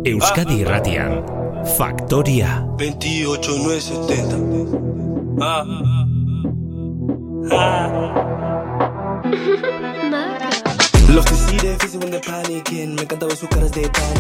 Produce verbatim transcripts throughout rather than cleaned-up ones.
Euskadi Irratian, Faktoria. veintiocho nueve setenta. Ah. Ah.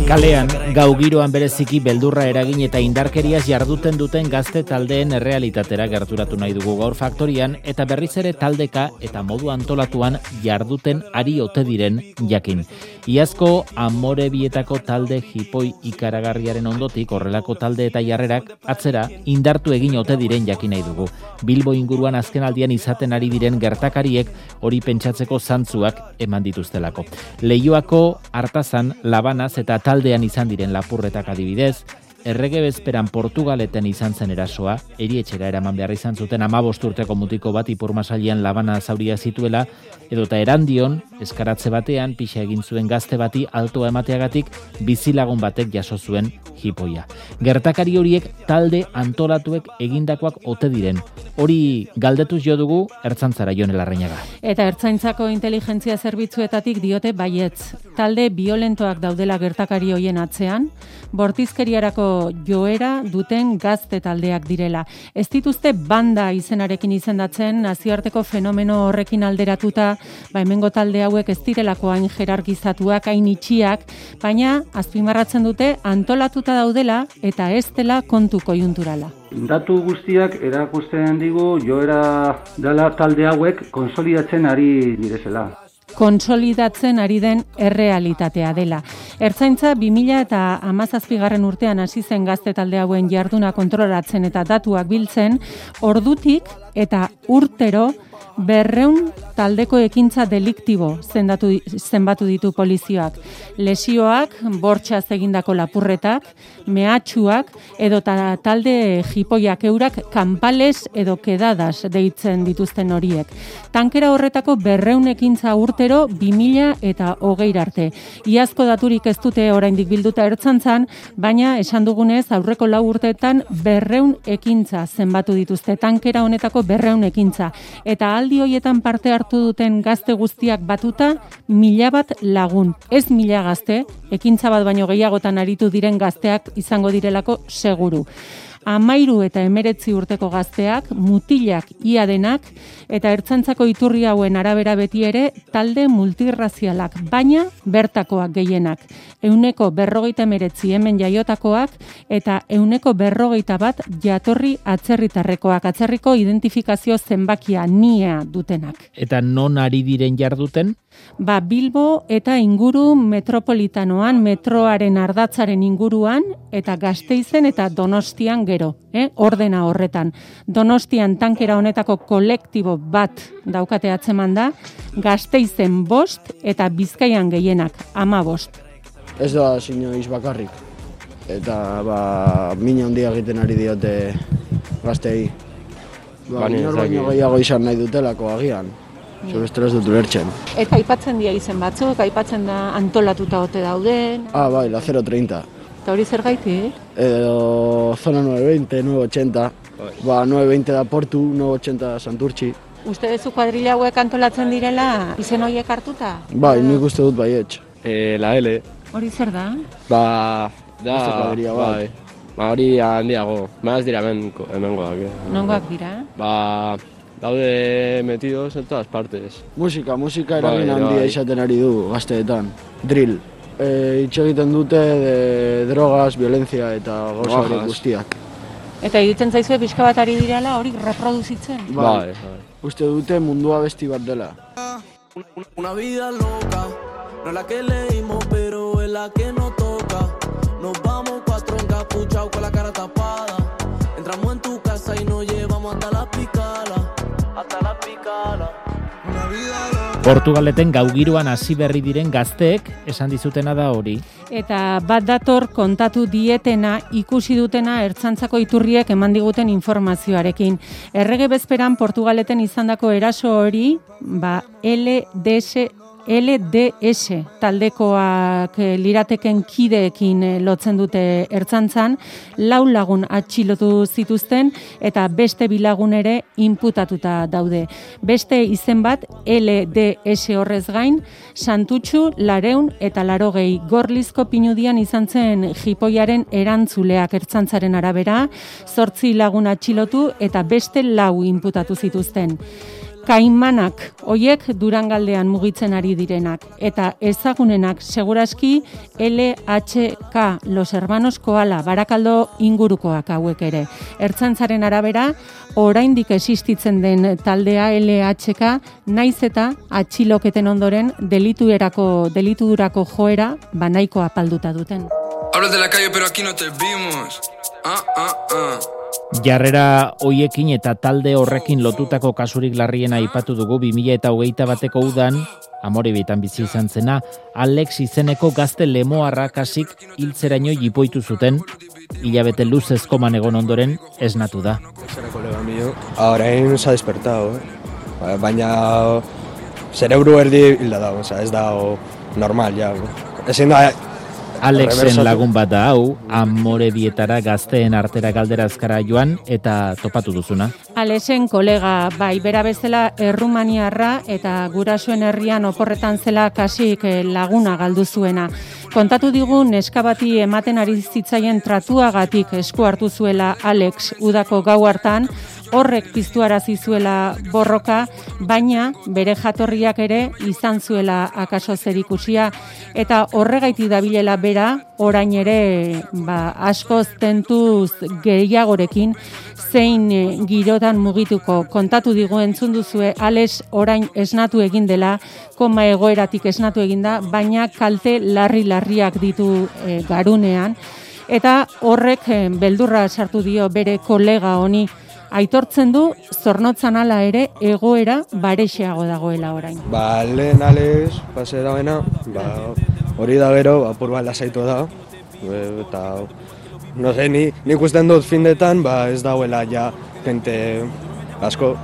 Kalean, gau giroan bereziki beldurra eragin eta indarkeriaz jarduten duten gazte taldeen errealitatera gerturatu nahi dugu gaur Faktorian, eta berriz ere taldeka eta modu antolatuan jarduten ari ote diren jakin. Iazko Amorebietako talde hipoi ikaragarriaren ondotik horrelako talde eta jarrerak atzera indartu egin ote diren jakin nahi dugu. Bilbo inguruan azkenaldian izaten ari diren gertakariek hori pentsatzeko zantzuak eman dituztelako. Leioako Artazan, Labanaz eta taldean izan diren lapurretak adibidez, errege bezperan Portugaleten izan zen erasoa, erietxera eraman behar izan zuten hamabost urteko mutiko bat ipurmasailean Labana zauria zituela, edota Erandion, eskaratze batean, pixa egin zuen gazte bati altoa emateagatik bizilagun batek jaso zuen hipoia. Gertakari horiek talde antolatuek egindakoak ote diren. Hori galdetuz jo dugu Ertzaintzara Jon Larrañaga. Eta Ertzaintzako inteligentzia zerbitzuetatik diote baietz. Talde violentoak daudela gertakari hoien atzean, bortizkeriarako joera duten gazte taldeak direla. Ez dituzte banda izenarekin izendatzen, nazioarteko fenomeno horrekin alderatuta, ba hemengo talde hauek ez direlako hain jerarkizatuak, hain itxiak, baina azpimarratzen dute antolatuta daudela eta ez dela kontu koiunturala. Datu guztiak erakusten digu joera dela talde hauek konsolidatzen ari direzela. Konsolidatzen ari den errealitatea dela. Ertzaintza bi mila hamazazpigarren urtean hasi zen gazte talde hauen jarduna kontrolatzen eta datuak biltzen, ordutik eta urtero berreun taldeko ekintza deliktibo zendatu, zenbatu ditu polizioak. Lesioak, bortxaz egindako lapurretak, mehatxuak, edo ta talde jipoiak eurak kanpales edo kedadas deitzen dituzten horiek. Tankera horretako berreun ekintza urtero bi mila eta hogei arte. Iazko daturik ez dute oraindik bilduta Ertzaintzan, baina esan dugunez aurreko lau urteetan berreun ekintza zenbatu dituzte. Tankera honetako berreun ekintza. Eta aldi hoietan parte hartu duten gazte guztiak batuta, mila bat lagun. Ez mila gazte, ekintza bat baino gehiagotan aritu diren gazteak izango direlako seguru. Amairu eta emeretzi urteko gazteak, mutilak ia denak, eta Ertzaintzako iturri hauen arabera beti ere talde multirrazialak, baina bertakoak gehienak. Euneko berrogeita emeretzi hemen jaiotakoak, eta euneko berrogeita bat jatorri atzerritarrekoak, atzerriko identifikazio zenbakia nia dutenak. Eta non ari diren jarduten? Ba, Bilbo eta inguru metropolitanoan, metroaren ardatzaren inguruan, eta Gasteizen eta Donostian gero, eh? Ordena horretan. Donostian tankera honetako kolektibo bat daukate atzeman da, Gasteizen bost eta Bizkaian gehienak, ama bost. Ez da sinoiz bakarrik, eta ba, min handia egiten ari diote gaztei. Ba, minor baino gehiago izan nahi dutelako agian. Zure ez dut ulertzen. Eta aipatzen dira izen batzuk, aipatzen da antolatuta ote dauden. Ah, bai, la cero treinta. Eta hori zer gaitik? Edo zona nueve veinte, nueve ochenta. Ba, nueve veinte da Portu, nueve ochenta Santurtzi. Uste dezu kuadrilla hauek antolatzen direla izen horiek hartuta? Bai, nik uste dut baietz. Eh, la L. Hori zer da? Ba, da, kuadrilla bai. Ba, hori handiago. Ba, ez dira hemengoak. Eh. Nongoak dira? Ba, daude metidos en todas partes. Musika, musika eragin handia izaten ari du gazteetan. Drill. E, Itxe egiten dute de drogas, violencia eta gauza hori guztiak. Eta egiten zaizue pixka bat ari direla hori reproduzitzen? Bai, bai. Uste dute mundua besti bat dela. Una vida loca, no la que leímos, pero es la que nos toca. Nos vamos cuatro encapuchados con la cara tapada. Entramos en tu casa y nos llevamos hasta la picala. Hasta la picala. Una vida loca. Portugaleten gaugiroan hasi berri diren gazteek esan dizutena da hori. Eta bat dator kontatu dietena ikusi dutena Ertzaintzako iturriek eman diguten informazioarekin. Errege bezperan Portugaleten izandako eraso hori, ba L D S L D S taldekoak lirateken kideekin lotzen dute ertzaintzan, lau lagun atxilotu zituzten eta beste bilagun ere inputatuta daude. Beste izen bat L D S horrez gain, Santutxu, Lareun eta Larogei Gorlizko Pinudian izan zen jipoiaren erantzuleak ertzaintzaren arabera, zortzi lagun atxilotu eta beste lau inputatu zituzten. Kaimanak, hoiek Durangaldean mugitzen ari direnak, eta ezagunenak seguraski L H K, Los Hermanos Koala, Barakaldo ingurukoak hauek ere. Ertzaintzaren arabera, oraindik existitzen den taldea L H K, naiz eta atxiloketen ondoren delituerako delitudurako joera banaiko apalduta duten. Hablas de la calle, pero aquí no te vimos. Ah, ah, ah. Jarrera hoiekin eta talde horrekin lotutako kasurik larriena aipatu dugu bi mila hogeita bateko udan, Amorebitan bizi izan zena, Alex izeneko gazte lemoarra kasik hiltzeraino jipoitu zuten, hilabete luzezko manegon ondoren esnatu da. Era colega mío, orain se ha despertado, eh? Baina cerebro erdi hilda dago, o sea, ez dago normal ya. Ezin da Alexen lagun bat da hau, Amorebietara gazteen artera galderazkara joan eta topatu duzuna. Alexen kolega, bai, bera bezala Errumaniarra eta gurasoen herrian oporretan zela kasik laguna galdu zuena. Kontatu digu neska bati ematen ari zitzaien tratuagatik esku hartu zuela Alex udako gau hartan, horrek piztuarazi zuela borroka, baina bere jatorriak ere izan zuela akaso zerikusia, eta horregaitik dabilela bera, orain ere ba, askoz tentuz gehiagorekin zein girotan mugituko. Kontatu digu entzun duzue, Alex orain esnatu egin dela, koma egoeratik esnatu eginda, baina kalte larri-larriak ditu e, garunean, eta horrek e, beldurra sartu dio bere kolega honi. Aitortzen du, zornotzan ala ere egoera barexeago dagoela orain. Ba, lehen Alex, pase dagoena, ba, hori da gero, apur bat lasaitu da, eta, no sé, ni, ni ikusten dut findetan, ba, ez dagoela ja, gente asko,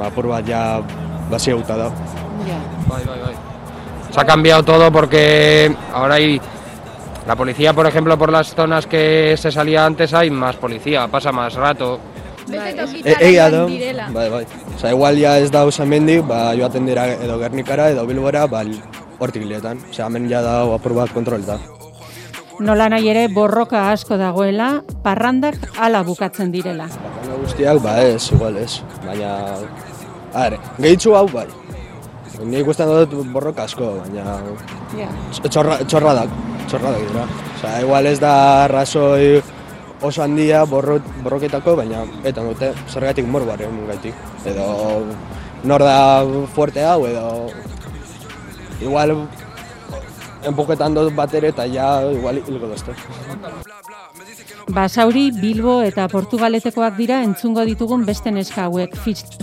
apur bat ja, basi gauta da. Ja. Bai, bai, bai. Se ha cambiado todo porque ahora hay la policía, por ejemplo, por las zonas que se salía antes hay más policía, pasa más rato. Egia da, bai, bai. Osa, igual ja ez da usan mendik, ba, joaten dira edo Gernikara edo Bilbora, ba, hortik biletan. Osa, hemen ja da apur bat kontroleta. Nola nahi ere borroka asko dagoela, parrandak hala bukatzen direla. Parranda guztiak, ba ez, igual ez. Baina, are, gehitzu hau bai. Ni ikusten dut borroka asko, baina yeah. txorra, txorradak, txorradak dira. Osa, igual ez da razoi oso handia borro, borroketako, baina eta dute zergatik morbaren gaitik. Edo nor da fuerte hau, edo igual empuketan dut bat ere eta ja igual hilko dozte. Basauri, Bilbo eta Portugaletekoak dira entzungo ditugun beste neska hauek.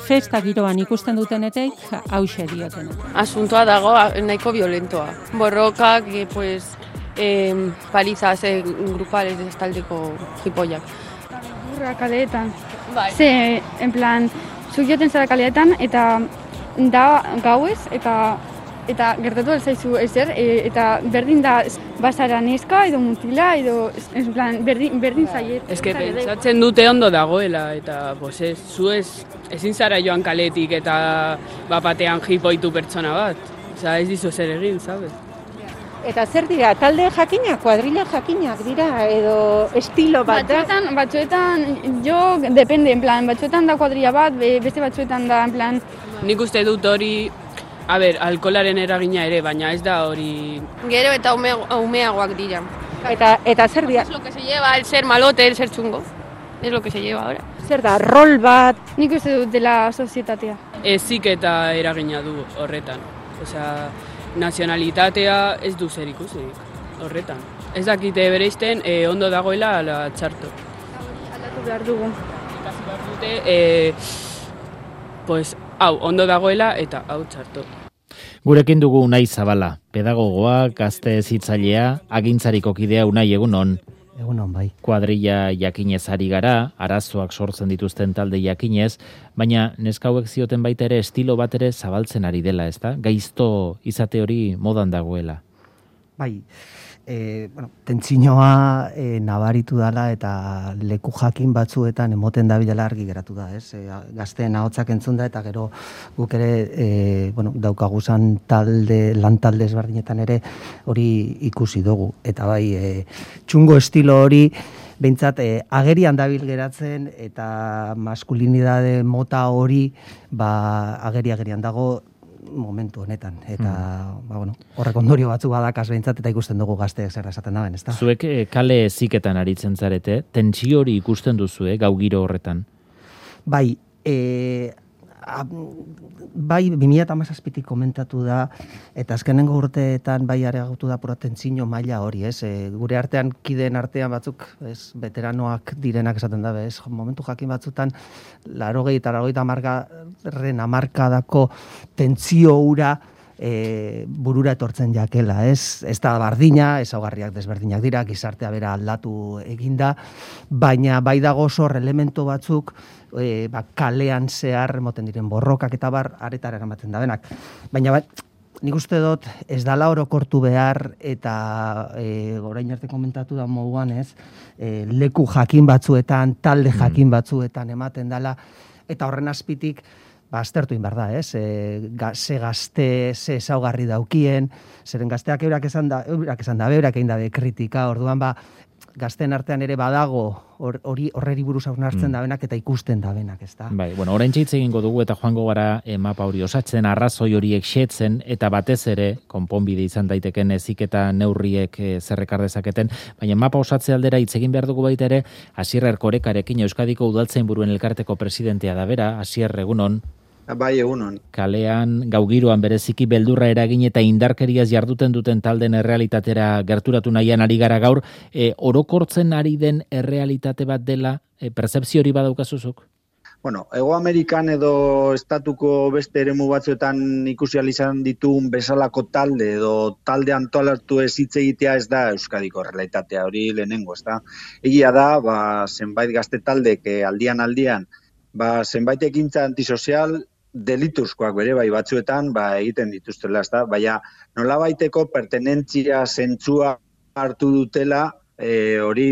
Festa giroan ikusten dutenetek hauxe diotena. Asuntoa dago nahiko violentoa. Borrokak, pues, Eh, palizas eh, grupales de estaldeko jipoiak. Burra kaleetan. Bai. Ze, en plan, zuk joten zara kaleetan eta da gauez eta eta gertatu alzaizu ezer e, eta berdin da basara neska edo mutila edo en plan berdin berdin zaiet. Ez que pentsatzen dute ondo dagoela eta pues ez zu ez ezin zara joan kaletik eta bapatean jipoitu pertsona bat. Osea, ez dizu zer egin, sabes? Eta zer dira, talde jakinak, kuadrilla jakinak dira, edo estilo bat da? Batzuetan, batzuetan, jo, depende, en plan, batzuetan da kuadrilla bat, beste batzuetan da, en plan... Nik uste dut hori, a ber, alkolaren eragina ere, baina ez da hori... Gero eta ume, umeagoak dira. Eta, eta zer dira? Es lo que se lleva, el ser malote, el ser chungo. Es lo que se lleva ahora. Zer da, rol bat? Nik uste dut dela sozietatea. Ezik eta eragina du horretan. Osea... Nazionalitatea ez du zer ikusi horretan. Ez dakite bereizten eh, ondo dagoela ala txarto. Aldatu behar dugu. Ikasi behar dute, eh, pues, hau ondo dagoela eta hau txarto. Gurekin dugu Unai Zabala, pedagogoa, gazte hezitzailea, agintzariko kidea Unai egunon. Egunon, bai. Kuadrilla jakinez ari gara, arazoak sortzen dituzten talde jakinez, baina neska hauek zioten baita ere estilo bat ere zabaltzen ari dela, ezta? Gaizto izate hori modan dagoela. Bai, e, bueno, tentsinoa e, nabaritu dela eta leku jakin batzuetan emoten dabilela argi geratu da, ez? E, gazteen ahotsak entzun da eta gero guk ere e, bueno, daukaguzan talde, lan talde ezberdinetan ere hori ikusi dugu. Eta bai, e, txungo estilo hori behintzat e, agerian dabil geratzen eta maskulinidade mota hori ba, ageri-agerian dago momentu honetan, eta mm. ba, bueno, horrek ondorio batzu badakaz behintzat, eta ikusten dugu gazteek zer esaten daben, ezta? Zuek e, kale ziketan aritzen zarete, tentsio hori ikusten duzu, eh, gau giro horretan? Bai, e, a, bai, bi mila hamazazpitik komentatu da, eta azkenengo urteetan bai areagotu da pura tentsio maila hori, ez? E, gure artean, kideen artean batzuk, ez, veteranoak direnak esaten dabe, ez? Momentu jakin batzutan, larogei eta larogei hamargarren hamarkadako tentsio hura e, burura etortzen jakela, ez? Ez da bardina, ezaugarriak desberdinak dira, gizartea bera aldatu eginda, baina bai dago zor elementu batzuk, e, ba, kalean zehar moten diren borrokak eta bar, aretara eramaten da benak. Baina bat, nik uste dut ez dala orokortu behar eta e, orain arte komentatu da moduan, ez? E, leku jakin batzuetan, talde jakin batzuetan ematen dala, eta horren azpitik ba, aztertu inbar da, ez? E, ga, ze gazte, ze ezaugarri daukien, zeren gazteak eurak esan da, eurak esan da, eurak egin dabe kritika, orduan ba, gazten artean ere badago hori horreri buruz hausnartzen mm. dabenak eta ikusten dabenak, ezta? Bai, bueno, orain hitz egingo dugu eta joango gara e, mapa hori osatzen, arrazoi horiek xetzen eta batez ere konponbide izan daiteken eziketa neurriek e, zerrekar dezaketen, baina mapa osatze aldera hitz egin behar dugu baita ere Asier Erkorekarekin, Euskadiko Udaltzainburuen elkarteko presidentea da bera. Asier, egunon. Bai, egunon. Kalean, gaugiroan bereziki beldurra eragin eta indarkeriaz jarduten duten talden errealitatera gerturatu nahian ari gara gaur, e, orokortzen ari den errealitate bat dela, e, pertzepzio hori badaukazuzuk? Bueno, Hego Amerikan edo estatuko beste eremu batzuetan ikusi ahal izan ditugun bezalako talde edo talde antolatu ez hitz egitea ez da Euskadiko errealitatea hori lehenengo, ez da? Egia da, ba, zenbait gazte taldek aldian aldian, ba, zenbait ekintza antisozial delituzkoak bere bai batzuetan ba, egiten dituztela, ez da? Baina nolabaiteko pertenentzia zentzua hartu dutela, e, hori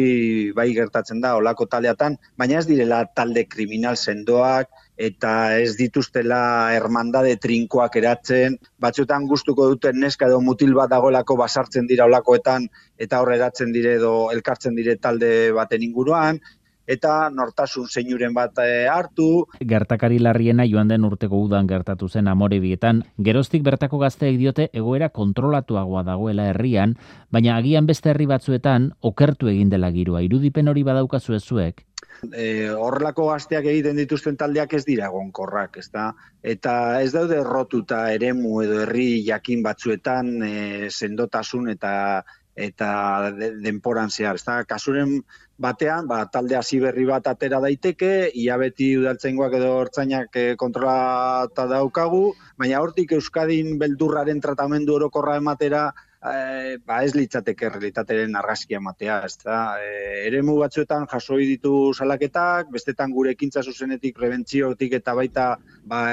bai gertatzen da olako taldeatan, baina ez direla talde kriminal sendoak eta ez dituztela hermandade trinkoak eratzen, batzuetan gustuko duten neska edo mutil bat dagoelako basartzen dira olakoetan eta hor eratzen dire edo elkartzen dire talde baten inguruan, eta nortasun zeinuren bat e, hartu. Gertakari larriena joan den urteko udan gertatu zen Amorebietan, geroztik bertako gazteek diote egoera kontrolatuagoa dagoela herrian, baina agian beste herri batzuetan okertu egin dela giroa. Irudipen hori badaukazu zuek? E, horrelako gazteak egiten dituzten taldeak ez dira egonkorrak, ezta? Eta ez daude errotuta eremu edo herri jakin batzuetan e, sendotasun eta eta denporan zehar, ezta? Kasuren batean, ba, talde hasi berri bat atera daiteke, ia beti udaltzaingoak edo ertzainak e, kontrolata daukagu, baina hortik Euskadin beldurraren tratamendu orokorra ematera, e, ba ez litzateke realitateren argazkia ematea, ezta? E, eremu batzuetan jasoi ditu salaketak, bestetan gure ekintza zuzenetik, prebentziotik eta baita ba,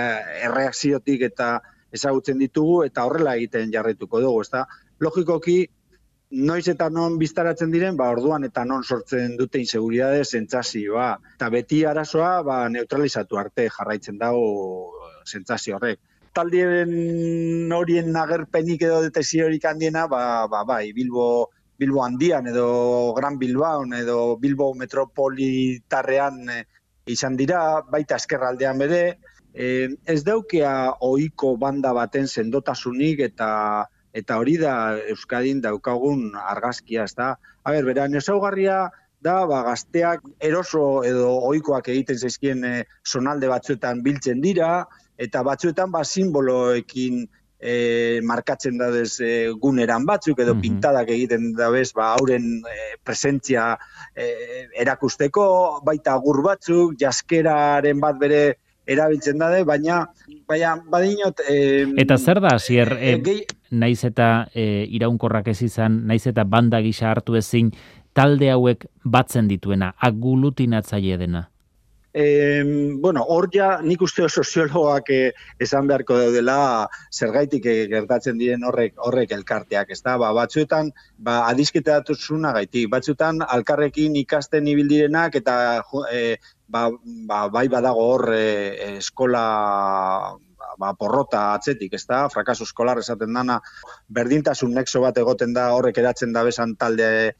erreakziotik eta ezagutzen ditugu, eta horrela egiten jarraituko dugu, ezta? Logikoki, noiz eta non biztaratzen diren, ba, orduan eta non sortzen dute inseguridade sentsazioa. Eta beti arazoa ba, neutralizatu arte jarraitzen dago sentsazio horrek. Taldien horien agerpenik edo detesiorik handiena, ba, ba, bai, Bilbo, Bilbo handian edo Gran Bilbaon edo Bilbo metropolitarrean e, izan dira, baita eskerraldean bere, e, ez daukea ohiko banda baten sendotasunik eta Eta hori da Euskadin daukagun argazkia, ez da. A ber, beran, ezaugarria da, ba, gazteak eroso edo ohikoak egiten zaizkien e, zonalde batzuetan biltzen dira, eta batzuetan ba, simboloekin e, markatzen dadez e, guneran batzuk, edo mm-hmm. pintadak egiten dabez, ba, hauren e, presentzia e, erakusteko, baita agur batzuk, jaskeraren bat bere erabiltzen dade, baina baina badinot... Eh, eta zer da, Asier, eh, eh, gehi... naiz eta eh, iraunkorrak ez izan, naiz eta banda gisa hartu ezin, talde hauek batzen dituena, aglutinatzaile dena? E, bueno, hor ja nik uste soziologoak eh, esan beharko daudela zergaitik eh, gertatzen diren horrek horrek elkarteak, ezta? Ba, batzuetan ba adizketasunagaitik, batzuetan alkarrekin ikasten ibildirenak eta eh, ba, ba, bai badago hor eh, eskola ba, porrota atzetik, ezta? Frakaso eskolar esaten dana, berdintasun nexo bat egoten da horrek eratzen da besan talde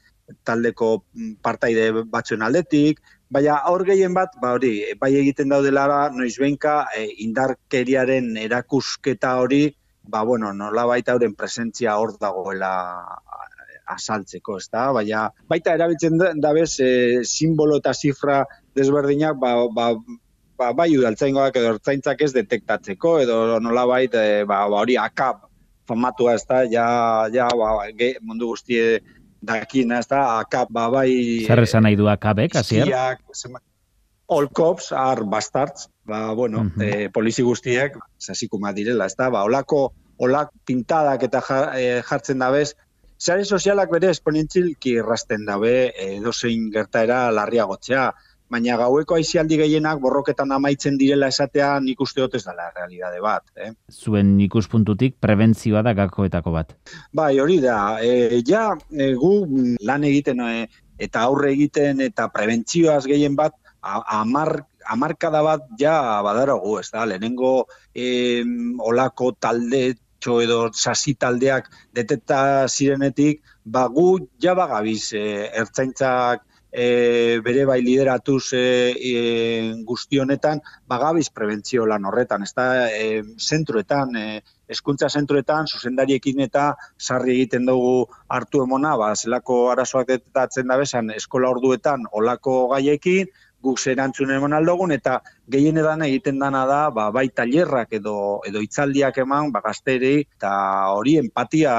taldeko partaide batzuen aldetik, baina hor gehien bat, ba hori, bai egiten daudela noizbehinka e, indarkeriaren erakusketa hori, ba bueno, nolabait hauren presentzia hor dagoela azaltzeko, ezta? Baina baita erabiltzen dabez e, simbolo eta zifra desberdinak, ba, ba, ba bai udaltzaingoak edo ertzaintzak ez detektatzeko edo nolabait e, ba hori akap famatua, ezta? Ja ja ba, ge, mundu guztie dakina, ez da, akap, ba, bai... Zer esan nahi du akabek, Asier? All cops are bastards, ba, bueno, uh-huh. eh, polizi guztiek, sasikuma direla, ez da, ba, olako, olak pintadak eta jartzen dabez, sare sozialak bere esponentzilki errasten dabe, edozein gertaera larriagotzea, baina gaueko aizialdi gehienak borroketan amaitzen direla esatea nik uste dut ez dela realitate bat. Eh? Zuen ikuspuntutik prebentzioa da gakoetako bat. Bai, hori da. E, ja, e, gu lan egiten e, eta aurre egiten eta prebentzioaz gehien bat, amar, amarkada bat ja badaragu, ez da. Lehenengo e, olako talde edo sasi taldeak detekta zirenetik, ba, gu ja bagabiz e, ertzaintzak E, bere bai lideratuz e, e, guzti honetan, bagabiz prebentzio lan horretan, ez da, e, zentruetan, e, hezkuntza zentruetan, zuzendariekin eta sarri egiten dugu hartu emona, ba, zelako arazoak detektatzen da bezan, eskola orduetan olako gaiekin, guk zerantzun emon aldogun, eta gehien edan egiten dana da, ba, bai tailerrak edo, edo hitzaldiak eman, ba, gazteri, eta hori empatia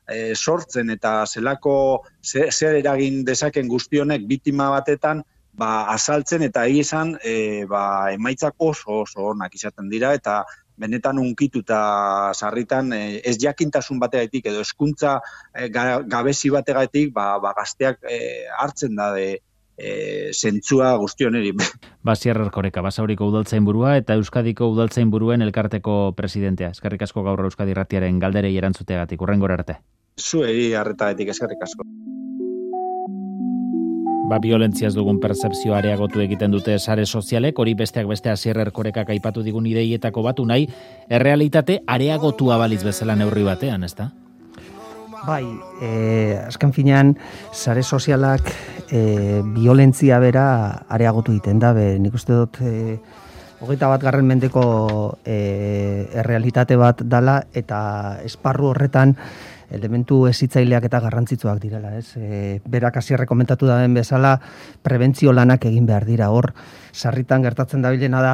e, sortzen, eta zelako zer eragin dezaken guztionek biktima batetan, ba, azaltzen, eta egizan, e, ba, emaitzak oso oso onak izaten dira, eta benetan unkituta sarritan e, ez jakintasun bategatik, edo hezkuntza e, gabezi bategatik, ba, ba, gazteak e, hartzen da de, E, zentzua guztioneri. Asier Erkoreka, Basauriko udaltzainburua eta Euskadiko udaltzainburuen elkarteko presidentea. Eskerrik asko gaur Euskadi Irratiaren galderei erantzuteagatik. Hurrengora arte. Zuei arretaetik eskerrik asko. Ba, violentziaz dugun pertzepzioa areagotu egiten dute sare sozialek, hori besteak beste Asier Erkorekak aipatu digun ideietako batu nahi, errealitate areagotua baliz bezala neurri batean, ezta? Bai, eh, azken finean, sare sozialak eh, violentzia bera areagotu egiten da, be, nik uste dut eh, hogeita bat garren mendeko eh, errealitate bat dala, eta esparru horretan elementu hezitzaileak eta garrantzitsuak direla, ez? E, berak Asierrek komentatu daben bezala, prebentzio lanak egin behar dira, hor, sarritan gertatzen dabilena da,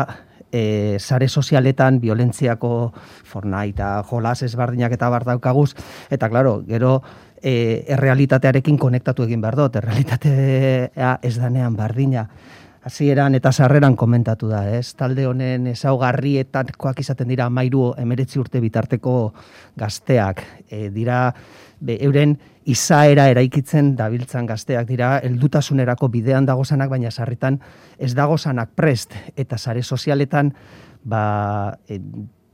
E, sare sozialetan violentziako fornai eta jolas ezberdinak eta bar daukaguz, eta claro, gero e, errealitatearekin konektatu egin behar dut, errealitatea ez danean bardina. Hasieran eta sarreran komentatu da, ez? Talde honen ezaugarrietakoak izaten dira hamairu hemeretzi urte bitarteko gazteak, e, dira be, euren izaera eraikitzen dabiltzan gazteak dira, heldutasunerako bidean dagozanak, baina sarritan ez dagozanak prest, eta sare sozialetan ba, e,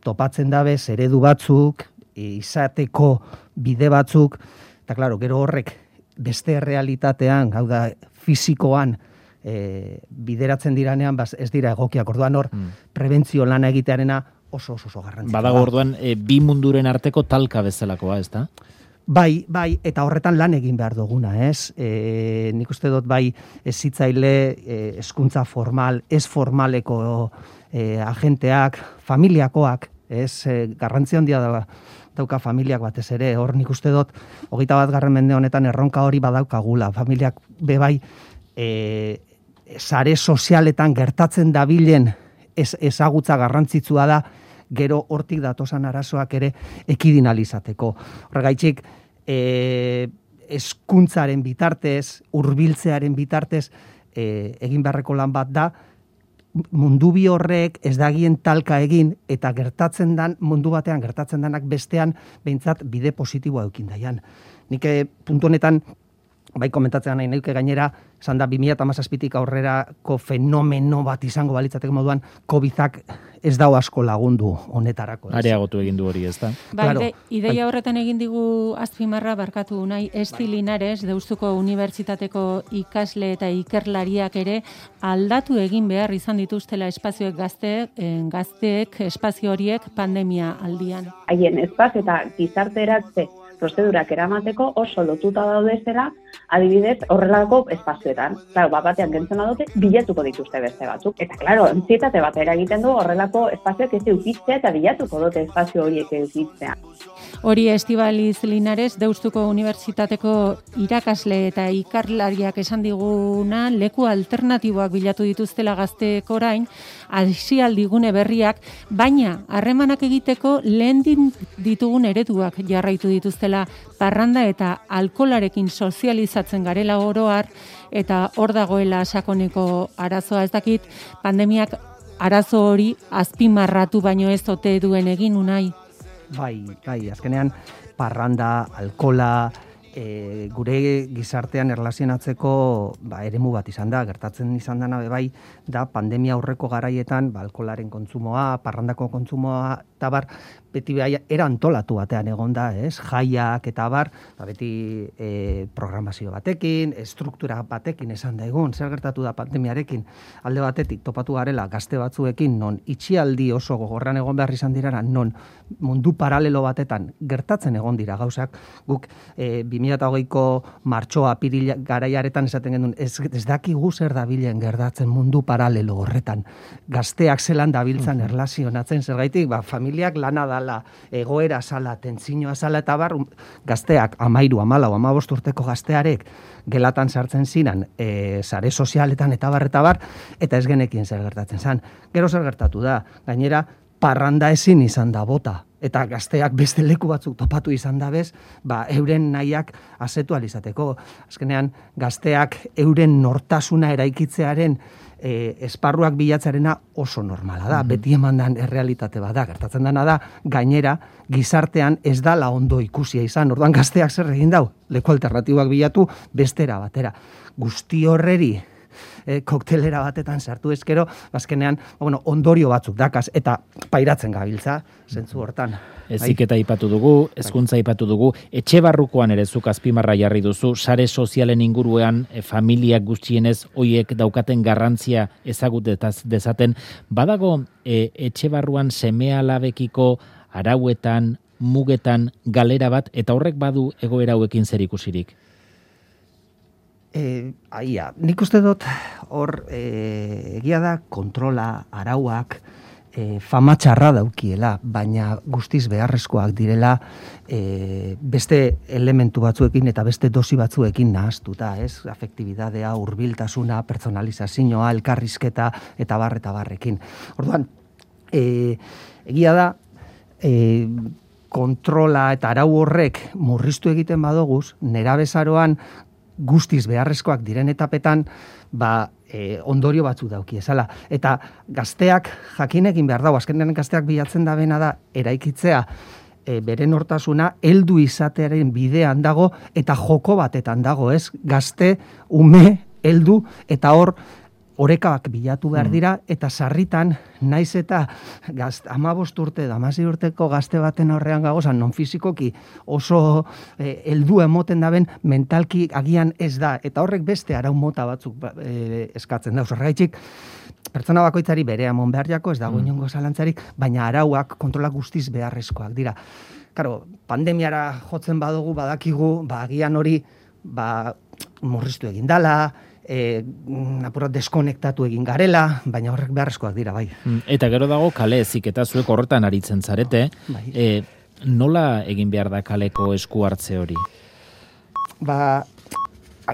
topatzen dabez eredu batzuk, e, izateko bide batzuk, eta klaro, gero horrek beste realitatean, hau da, fisikoan, e, bideratzen diranean, bas, ez dira egokiak, orduan hor, mm. prebentzio lana egitearena oso oso, oso garrantzitsua. Badago orduan, e, bi munduren arteko talka bezalakoa, ez da? Bai, bai, eta horretan lan egin behar duguna, ez? E, nik uste dut bai hezitzaile, hezkuntza formal, ez formaleko e, agenteak, familiakoak, ez? E, garrantzi handia da, dauka familiak batez ere, hor nik uste dut, hogeita bat garren mende honetan erronka hori badaukagula, familiak bebai e, sare sozialetan gertatzen dabilen ez, ezagutza garrantzitsua da, gero hortik datosan arazoak ere ekidinalizateko. Horregaitzik, e, eskuntzaren bitartez, hurbiltzearen bitartez, e, egin beharreko lan bat da, mundu bi horrek ez dagien talka egin, eta gertatzen dan, mundu batean gertatzen danak bestean, behintzat bide positiboa eukin daian. Nik puntu honetan, bai komentatzen nahi neuke gainera, esan da bi mila hamazazpitik aurrerako fenomeno bat izango balitzateko moduan, COVIDak ez dau asko lagundu honetarako. Areagotu egin du hori, ez da? Ba, claro, ide, ideia horretan egin digu azpimarra barkatu nahi, Esti Linares, Deustuko Unibertsitateko ikasle eta ikerlariak ere aldatu egin behar izan dituztela espazioek gazteek, gazteek espazio horiek pandemia aldian. Haien espazio eta gizarteratze prozedurak eramateko oso lotuta daudezela, adibidez, horrelako espazioetan. Claro, bat batean gentzen badute, bilatuko dituzte beste batzuk. Eta, claro, antsietate bat eragiten du horrelako espazioak ez eukitzea eta bilatuko dute espazio horiek eukitzea. Hori Estibaliz Linares, Deustuko Unibertsitateko irakasle eta ikerlariak esan diguna, leku alternatiboak bilatu dituztela gazteek orain, aisialdigune berriak, baina harremanak egiteko lehen ditugun ereduak jarraitu dituztela parranda eta alkolarekin sozializatzen garela oroar, eta hor dagoela sakoneko arazoa. Ez dakit, pandemiak arazo hori azpimarratu baino ez ote duen egin unai. Bai, bai, azkenean parranda, alkola, e, gure gizartean erlazionatzeko ba, eremu bat izan da, gertatzen izan dena bai, da pandemia aurreko garaietan, ba, alkolaren kontsumoa, parrandako kontsumoa, eta bar, beti bai, era antolatu batean egon da, ez? Jaiak eta bar, ba, beti e, programazio batekin, estruktura batekin esan da egun, zer gertatu da pandemiarekin, alde batetik topatu garela gazte batzuekin, non itxialdi oso gogorran egon behar izan dirara, non mundu paralelo batetan gertatzen egon dira gauzak, guk e, bi mila hogeiko martxoa apirila garaiaretan esaten genuen, ez, ez dakigu zer dabilen gertatzen mundu paralelo horretan, gazteak zelan dabiltzan erlazionatzen, zergaitik, ba, familiak lana dala, egoera sala, tentzinoa sala, eta bar, gazteak, amairu, amalau, amabost urteko gaztearek, gelatan sartzen zinan, e, sare sozialetan eta bar, eta bar, eta ez genekin zer gertatzen zan. Gero zer gertatu da, gainera, parranda ezin izan da bota, eta gazteak beste leku batzuk topatu izan da bez, ba, euren nahiak asetu alizateko. Azkenean, gazteak euren nortasuna eraikitzearen e, esparruak bilatzarena oso normala da, mm-hmm. beti emandan errealitate bat da, gertatzen dena da, gainera, gizartean ez dala ondo ikusia izan, orduan gazteak zer egin dau, leku alternatibak bilatu, bestera batera. Guzti horreri, E, koktelera batetan sartu ezkero, bazkenean, bueno, ondorio batzuk dakaz, eta pairatzen gabiltza, zentzu hortan. Heziketa aipatu dugu, hezkuntza aipatu dugu, etxe barrukoan ere zuk azpimarra jarri duzu, sare sozialen inguruan, e, familiak gutxienez, hoiek daukaten garrantzia ezagutetaz dezaten, badago e, etxe barruan seme-alabekiko arauetan, mugetan, galera bat, eta horrek badu egoera hauekin zer ikusirik? E, aia, nik uste dut hor e, egia da kontrola, arauak, e, fama txarra daukiela, baina guztiz beharrezkoak direla e, beste elementu batzuekin eta beste dosi batzuekin nahaztuta, ez? Afektibidadea, hurbiltasuna, personalizazioa, elkarrizketa eta bar eta barrekin. Orduan, e, egia da, e, kontrola eta arau horrek murriztu egiten badoguz, nerabezaroan guztiz beharrezkoak diren etapetan, ba, e, ondorio batzu dauki ezala. Eta gazteak jakinekin behar dago, azkenean gazteak bilatzen da bena da, eraikitzea e, bere nortasuna, heldu izatearen bidean dago, eta joko batetan dago, ez? Gazte, ume, heldu, eta hor, orekak bilatu behar dira, eta sarritan, naiz eta gazt, amabost urte, damasi urteko gazte baten horrean gagozan, non fizikoki oso eh, heldu emoten daben, mentalki agian ez da, eta horrek beste arau mota batzuk eh, eskatzen da. Horregatik, pertsona bakoitzari bere amon behar jako, ez dago inongo zalantzarik, baina arauak kontrola guztiz beharrezkoak dira. Karo, pandemiara jotzen badugu, badakigu, ba, agian hori, ba, murriztu egin dala, E, apurat deskonektatu egin garela, baina horrek beharrezkoak dira, bai. Eta gero dago kale ezik eta zuek horretan aritzen zarete, bai. e, nola egin behar da kaleko esku hartze hori? Ba,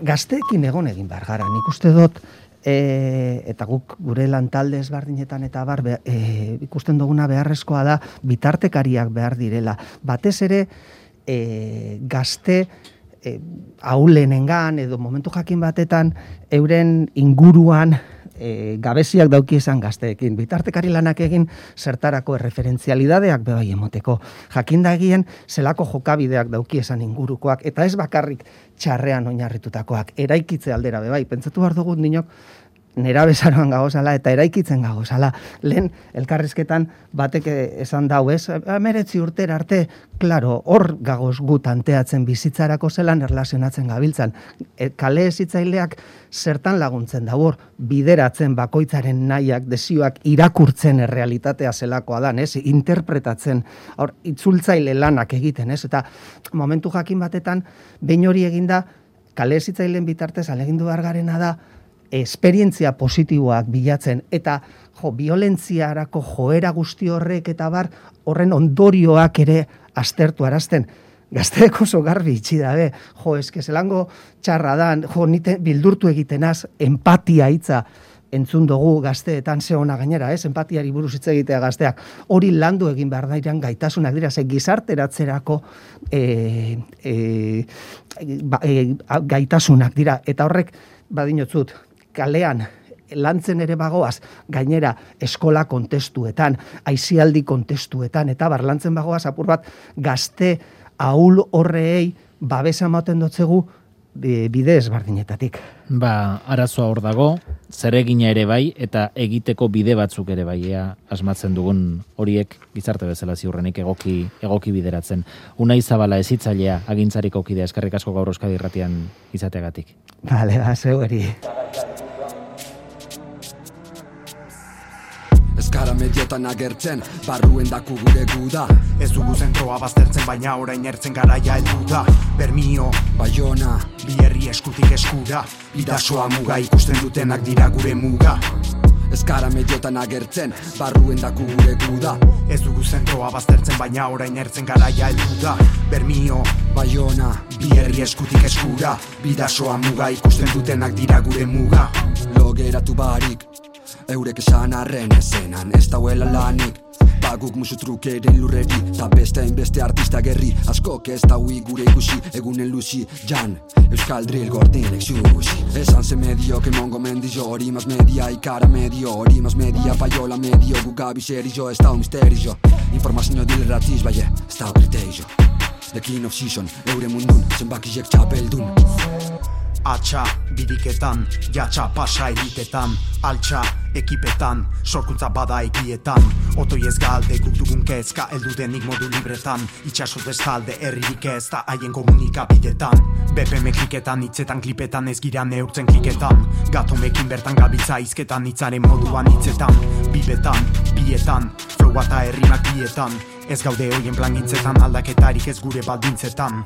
gazteekin egon egin behar gara, nik uste dut, e, eta guk gure lantalde ezberdinetan eta bar, be, e, ikusten duguna beharrezkoa da, bitartekariak behar direla. Batez ere, e, gazte, E, aulenengan edo momentu jakin batetan euren inguruan e, gabeziak dauki esan gazteekin. Bitartekari lanak egin zertarako erreferentzialidadeak bebai emoteko. Jakinda egien zelako jokabideak dauki esan ingurukoak, eta ez bakarrik txarrean oinarritutakoak, eraikitze aldera bebai. Pentsatu behar dugut dinok, nera bezaroan gagozala eta eraikitzen gagozala. Lehen elkarrizketan batek esan dau, ez? Meretzi urtera arte, klaro, hor gagoz gu tanteatzen bizitzarako zelan erlazionatzen gabiltzan. E, kale ezitzaileak zertan laguntzen da hor, bideratzen bakoitzaren nahiak, desioak irakurtzen errealitatea zelakoa dan, ez? Interpretatzen, hor, itzultzaile lanak egiten, ez? Eta momentu jakin batetan, behin hori eginda, kale ezitzaileen bitartez alegindu behar garena da, esperientzia positiboak bilatzen, eta jo, violentziarako joera guzti horrek eta bar, horren ondorioak ere aztertu arazten. Gazteek oso garbi itxi dabe, jo, eske zelango txarra dan, jo, nite bildurtu egitenaz, empatia hitza entzun dugu gazteetan ze ona gainera, ez? Empatiari buruz hitz egitea gazteak. Hori landu egin behar dairan gaitasunak dira, ze gizarteratzerako e, e, ba, e, gaitasunak dira, eta horrek badinotzut, kalean lantzen ere bagoaz, gainera eskola kontestuetan, aizialdi kontestuetan, eta bar lantzen bagoaz apur bat gazte ahul horreei babesa ematen dotzegu bide ezberdinetatik. Ba, arazoa hor dago, zeregina ere bai, eta egiteko bide batzuk ere bai, ea asmatzen dugun horiek gizarte bezala ziurrenik egoki, egoki bideratzen. Unai Zabala ezitzailea agintzariko kidea, eskerrik asko gaur Euskadi Irratian izateagatik. Bale, ba, zeueri. Eskara mediotan agertzen, barruen daku gure guda. Ez dugu zentroa baztertzen, baina orain ertzen garaia heldu da. Bermio, Baiona, bi herri eskutik eskura. Bidasoa muga ikusten dutenak dira gure muga. Eskara mediotan agertzen, barruen daku gure guda. Ez dugu zentroa baztertzen, baina orain ertzen garaia heldu da. Bermio, Baiona, bi herri eskutik eskura. Bidasoa muga ikusten dutenak dira gure muga. Logeratu barik, eurek esan arren ezenan ez dauela lanik. Baguk musu trukeren lurreri, ta beste hainbeste artista gerri. Askok ez daui gure ikusi, egunen luzi, jan Euskal drill gordinek xuxi. Esan ze medio, que mongo mendizo, hori mas media, ikara medio, hori mas media, paiola medio, gugabi serio, ez dau misterio. Informazio dilerratiz, baie, ez dau kriterio. The king of season, eure mundun, zenbakiek txapeldun. Atxa, bidiketan, jatxa pasa elitetan, altxa, ekipetan, sorkuntza bada ekietan. Otoi ez galde, guk dugun kezka, eldu denik modu libretan. Itxaso destalde, herririk ez da haien komunikabidetan. B P M kliketan, hitzetan, klipetan, ez gira neurtzen kliketan. Gatomekin bertan gabiltza izketan, hitzaren moduan hitzetan. Bibetan, bietan, flow eta herrimak bietan. Ez gaude hoien plan gintzetan, aldaketarik ez gure baldintzetan.